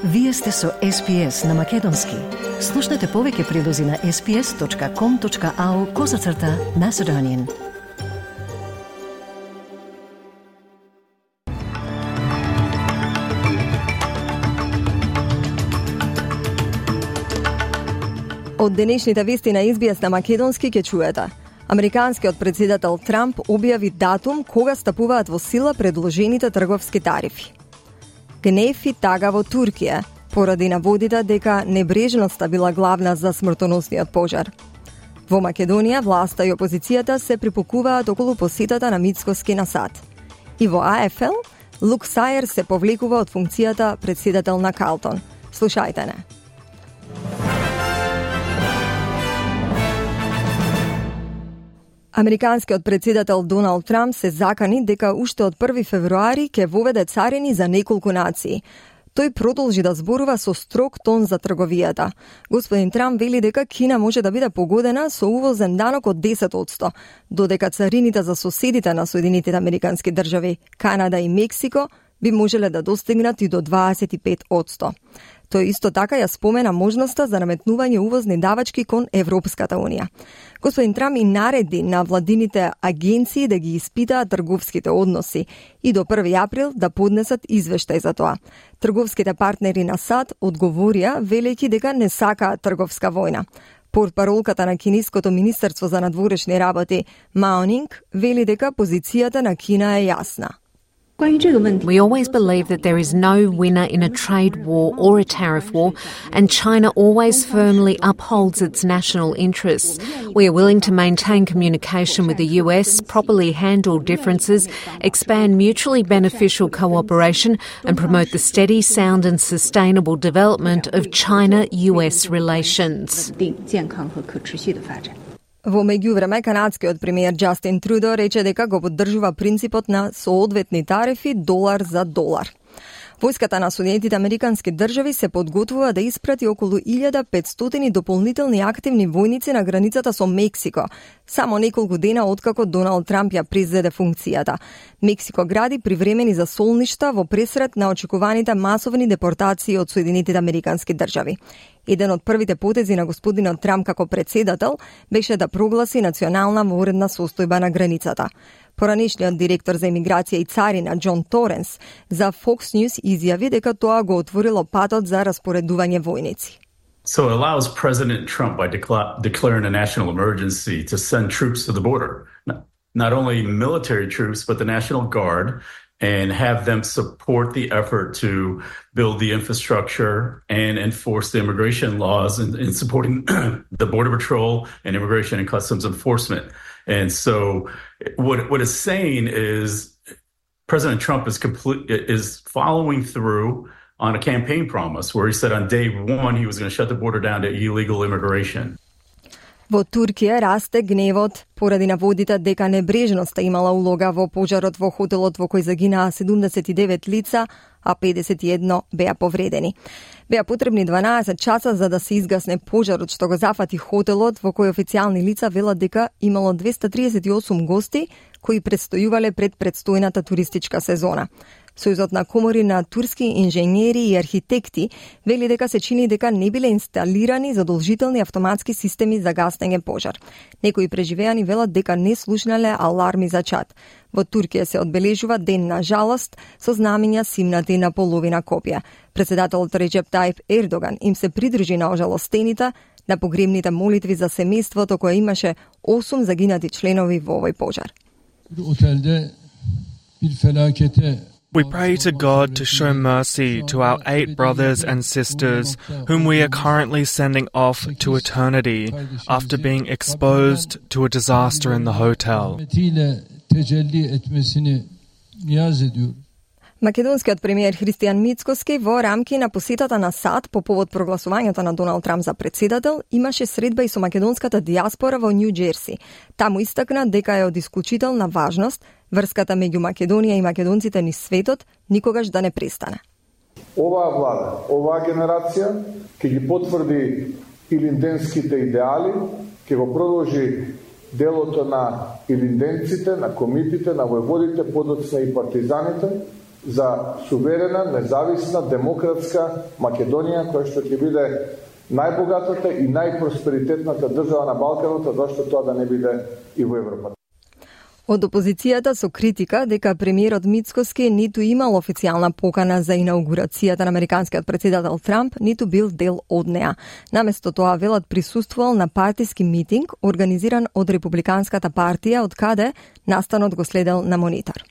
Вие сте со SPS на Македонски. Слушнете повеќе прилози на sps.com.au/Macedonian. Од денешните вести на SBS на Македонски ќе чуете. Американскиот председател Трамп објави датум кога стапуваат во сила предложените трговски тарифи. Гнев и тага во Туркија поради наводите дека небрежноста била главна за смртоносниот пожар. Во Македонија власта и опозицијата се припокуваат околу посетата на Мицкоски на САД. И во АФЛ Лук Сајер се повлекува од функцијата председател на Калтон. Слушајте не. Американскиот председател Доналд Трамп се закани дека уште од 1 февруари ќе воведе царини за неколку нации. Тој продолжи да зборува со строг тон за трговијата. Господин Трамп вели дека Кина може да биде погодена со увозен данок од 10%, додека царините за соседите на Соединетите Американски држави, Канада и Мексико, би можеле да достигнат и до 25%. Тој исто така ја спомена можноста за наметнување увозни давачки кон Европската Унија. Господин Трамп и нареди на владините агенции да ги испитаат трговските односи и до 1 април да поднесат извештај за тоа. Трговските партнери на САД одговорија велејќи дека не сакаат трговска војна. Портпаролката на Кинеското министерство за надворешни работи Мао Нинг вели дека позицијата на Кина е јасна. We always believe that there is no winner in a trade war or a tariff war, and China always firmly upholds its national interests. We are willing to maintain communication with the US, properly handle differences, expand mutually beneficial cooperation, and promote the steady, sound and sustainable development of China-US relations. Во меѓувреме, канадскиот премиер Џастин Трудо рече дека го поддржува принципот на соодветни тарифи долар за долар. Војската на Соединетите Американски држави се подготвува да испрати околу 1500 дополнителни активни војници на границата со Мексико, само неколку дена откако Доналд Трамп ја презеде функцијата. Мексико гради привремени засолништа во пресред на очекуваните масовни депортации од Соединетите Американски држави. Еден од првите потези на господинот Трамп како председател беше да прогласи национална воредна состојба на границата. Поранешниот директор за имиграција и царина Џон Торенс за Fox News изјави дека тоа го отворило патот за распоредување војници. So it allows President Trump by declaring a national emergency to send troops to the border. Not only military troops, but the National Guard, and have them support the effort to build the infrastructure and enforce the immigration laws and supporting the Border Patrol and Immigration and Customs Enforcement. And so what it's saying is President Trump is following through on a campaign promise where he said on day one he was going to shut the border down to illegal immigration. Во Туркија расте гневот поради наводите дека небрежноста имала улога во пожарот во хотелот во кој загинаа 79 лица, а 51 беа повредени. Беа потребни 12 часа за да се изгасне пожарот што го зафати хотелот во кој официјални лица велат дека имало 238 гости кои предстојувале пред предстојната туристичка сезона. Сојузот на комори на турски инженери и архитекти вели дека се чини дека не биле инсталирани задолжителни автоматски системи за гаснење пожар. Некои преживеани велат дека не слушнале аларми за чад. Во Туркија се одбележува ден на жалост со знамиња симнати на половина копија. Председателот Реџеп Тајип Ердоган им се придружи на ожалостените на погребните молитви за семејството кое имаше 8 загинати членови во овој пожар. We pray to God to show mercy to our 8 brothers and sisters whom we are currently sending off to eternity after being exposed to a disaster in the hotel. Македонскиот премиер Христијан Мицкоски во рамки на посетата на САД по повод прогласувањето на Доналд Трамп за председател имаше средба и со македонската диаспора во Њу Џерси. Таму истакна дека е од исклучителна важност врската меѓу Македонија и македонците низ светот никогаш да не престане. Оваа влада, оваа генерација ќе ги потврди илинденските идеали, ќе го продолжи делото на илинденците, на комитите, на војводите, подоцна и партизаните, за суверена, независна, демократска Македонија, која што ќе биде најбогатата и најпросперитетната држава на Балканот, а зашто тоа да не биде и во Европа. Од опозицијата со критика дека премиерот Мицкоски ниту имал официјална покана за инаугурацијата на американскиот председател Трамп, ниту бил дел од неа. Наместо тоа велат присуствувал на партиски митинг организиран од Републиканската партија, од каде настанот го следел на монитор.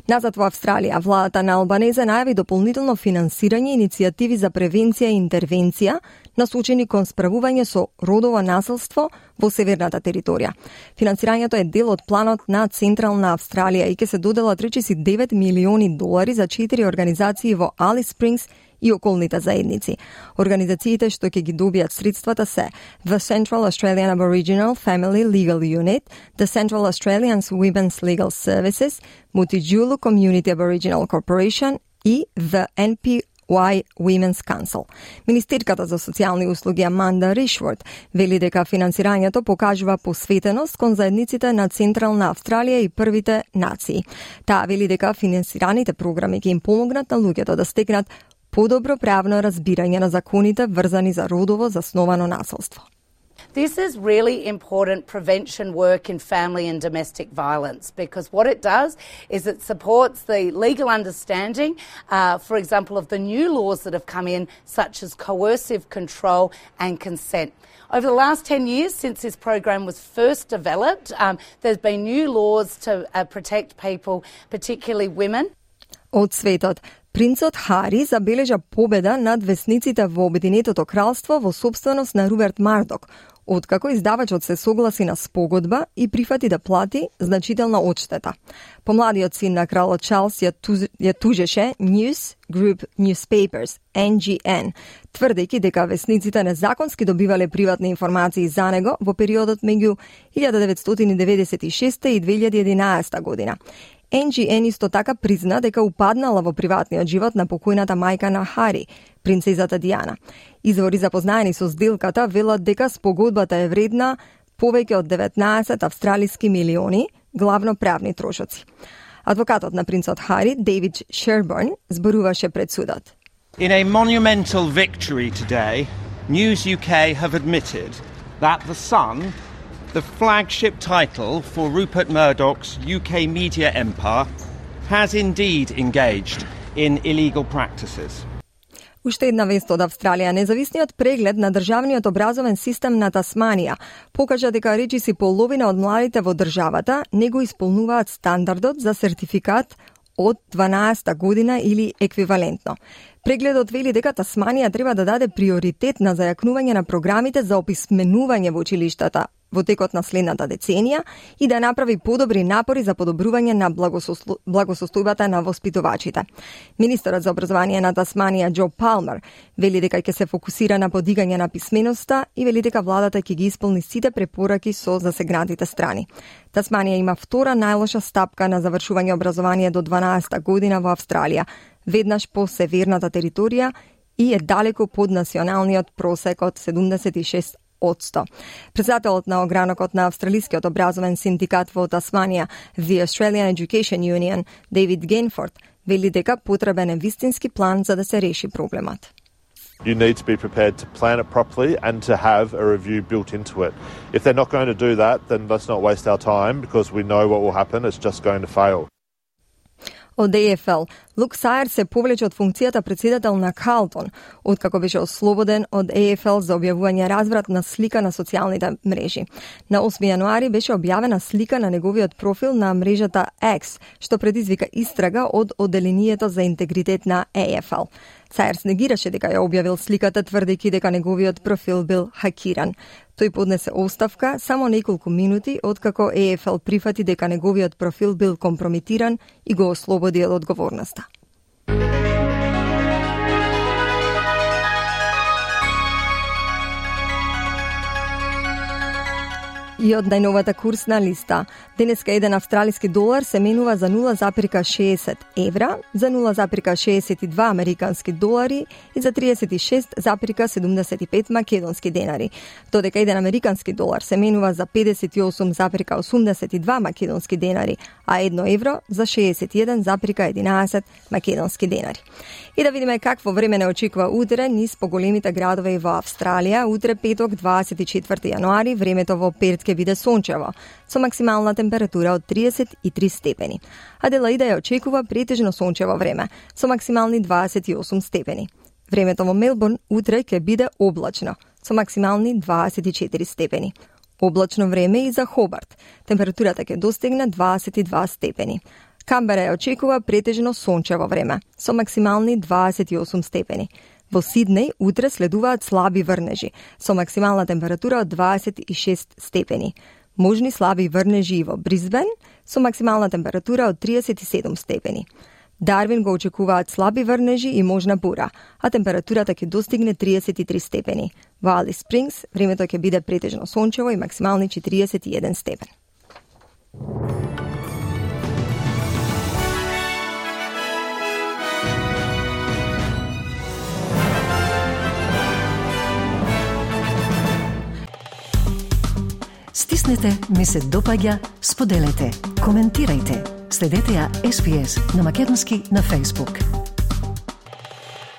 Назад во Австралија, владата на Албанезе најави дополнително финансирање иницијативи за превенција и интервенција насочени кон справување со родово насилство во северната територија. Финансирањето е дел од планот на Централна Австралија и ќе се доделат речиси $9 милиони за 4 организации во Алис Спрингс и околните заедници. Организациите што ќе ги добијат средствата се The Central Australian Aboriginal Family Legal Unit, The Central Australian Women's Legal Services, Mutijulu Community Aboriginal Corporation и The NPY Women's Council. Министерката за социјални услуги Аманда Ришворд вели дека финансирањето покажува посветеност кон заедниците на Централна Австралија и првите нации. Таа вели дека финансираните програми ќе им помогнат на луѓето да стекнат подобро правно разбирање на законите врзани за родово засновано насилство. This is really important prevention work in family and domestic violence because what it does is it supports the legal understanding, for example, of the new laws that have come in, such as coercive control and consent. Over the last 10 years since this program was first developed, there's been new laws to protect people, particularly women. Од светот, принцот Хари забележа победа над весниците во Обединетото кралство во собственост на Руберт Мардок, откако издавачот се согласи на спогодба и прифати да плати значителна одштета. Помладиот син на кралот Чарлс ја тужеше News Group Newspapers, NGN, тврдејќи дека весниците незаконски добивале приватни информации за него во периодот меѓу 1996 и 2011 година. NGN исто така призна дека упаднала во приватниот живот на покојната мајка на Хари, принцезата Диана. Извори запознаени со сделката велат дека спогодбата е вредна повеќе од 19 австралиски милиони, главно правни трошоци. Адвокатот на принцот Хари, Дейвид Шерборн, зборуваше пред судот. In a monumental victory today, News UK have admitted that The Sun, the flagship title for Rupert Murdoch's UK media empire, has indeed engaged in illegal practices. Уште една вест од Австралија. Независниот преглед на државниот образовен систем на Тасманија покажа дека речиси половина од младите во државата не го исполнуваат стандардот за сертификат од 12-та година или еквивалентно. Прегледот вели дека Тасманија треба да даде приоритет на зајакнување на програмите за описменување во училиштата во текот на следната деценија и да направи подобри напори за подобрување на благосостојбата на воспитувачите. Министерот за образование на Тасманија Џо Палмер вели дека ќе се фокусира на подигање на писменоста и вели дека владата ќе ги исполни сите препораки со засегнатите страни. Тасманија има втора најлоша стапка на завршување образование до 12-та година во Австралија, веднаш по северната територија и е далеко под националниот просек од 76%. Председателот на огранокот на Австралискиот образовен синдикат во Тасманија, The Australian Education Union, Дейвид Генфорд, вели дека потребен е вистински план за да се реши проблемот. You need to be prepared to plan it properly and to have a review built into it. If they're not going to do that, then let's not waste our time because we know what will happen. It's just going to fail. Од AFL, Лук Сајер се повлече од функцијата председател на Карлтон, откако беше ослободен од AFL за објавување развратна слика на социјалните мрежи. На 8 јануари беше објавена слика на неговиот профил на мрежата X, што предизвика истрага од Одделението за интегритет на AFL. Сајер негираше дека ја објавил сликата, тврдејќи дека неговиот профил бил хакиран. Тој поднесе оставка само неколку минути откако AFL прифати дека неговиот профил бил компрометиран и го ослободи од одговорноста. И од најновата курсна листа. Денеска еден австралиски долар се менува за 0,60 евра, за 0,62 американски долари и за 36,75 македонски денари, додека еден американски долар се менува за 58,82 македонски денари, а 1 евро за 61,11 македонски денари. И да видиме какво време не очекува утре низ поголемите градови во Австралија. Утре петок 24 јануари времето во Перт ќе биде сончево, со максимална температура од 33 степени. Аделаида ја очекува претежно сончево време, со максимални 28 степени. Времето во Мелбурн утре ќе биде облачно, со максимални 24 степени. Облачно време и за Хобарт. Температурата ќе достигне 22 степени. Камбера ја очекува претежно сончево време, со максимални 28 степени. Во Сиднеј утре следуваат слаби врнежи, со максимална температура од 26 степени. Можни слаби врнежи и во Брисбен, со максимална температура од 37 степени. Дарвин го очекуваат слаби врнежи и можна бура, а температурата ќе достигне 33 степени. Во Алис Спрингс времето ќе биде претежно сончево и максимални 41 степен. Стиснете, ми се допаѓа, споделете, коментирајте. Следете ја SPS на Македонски на Facebook.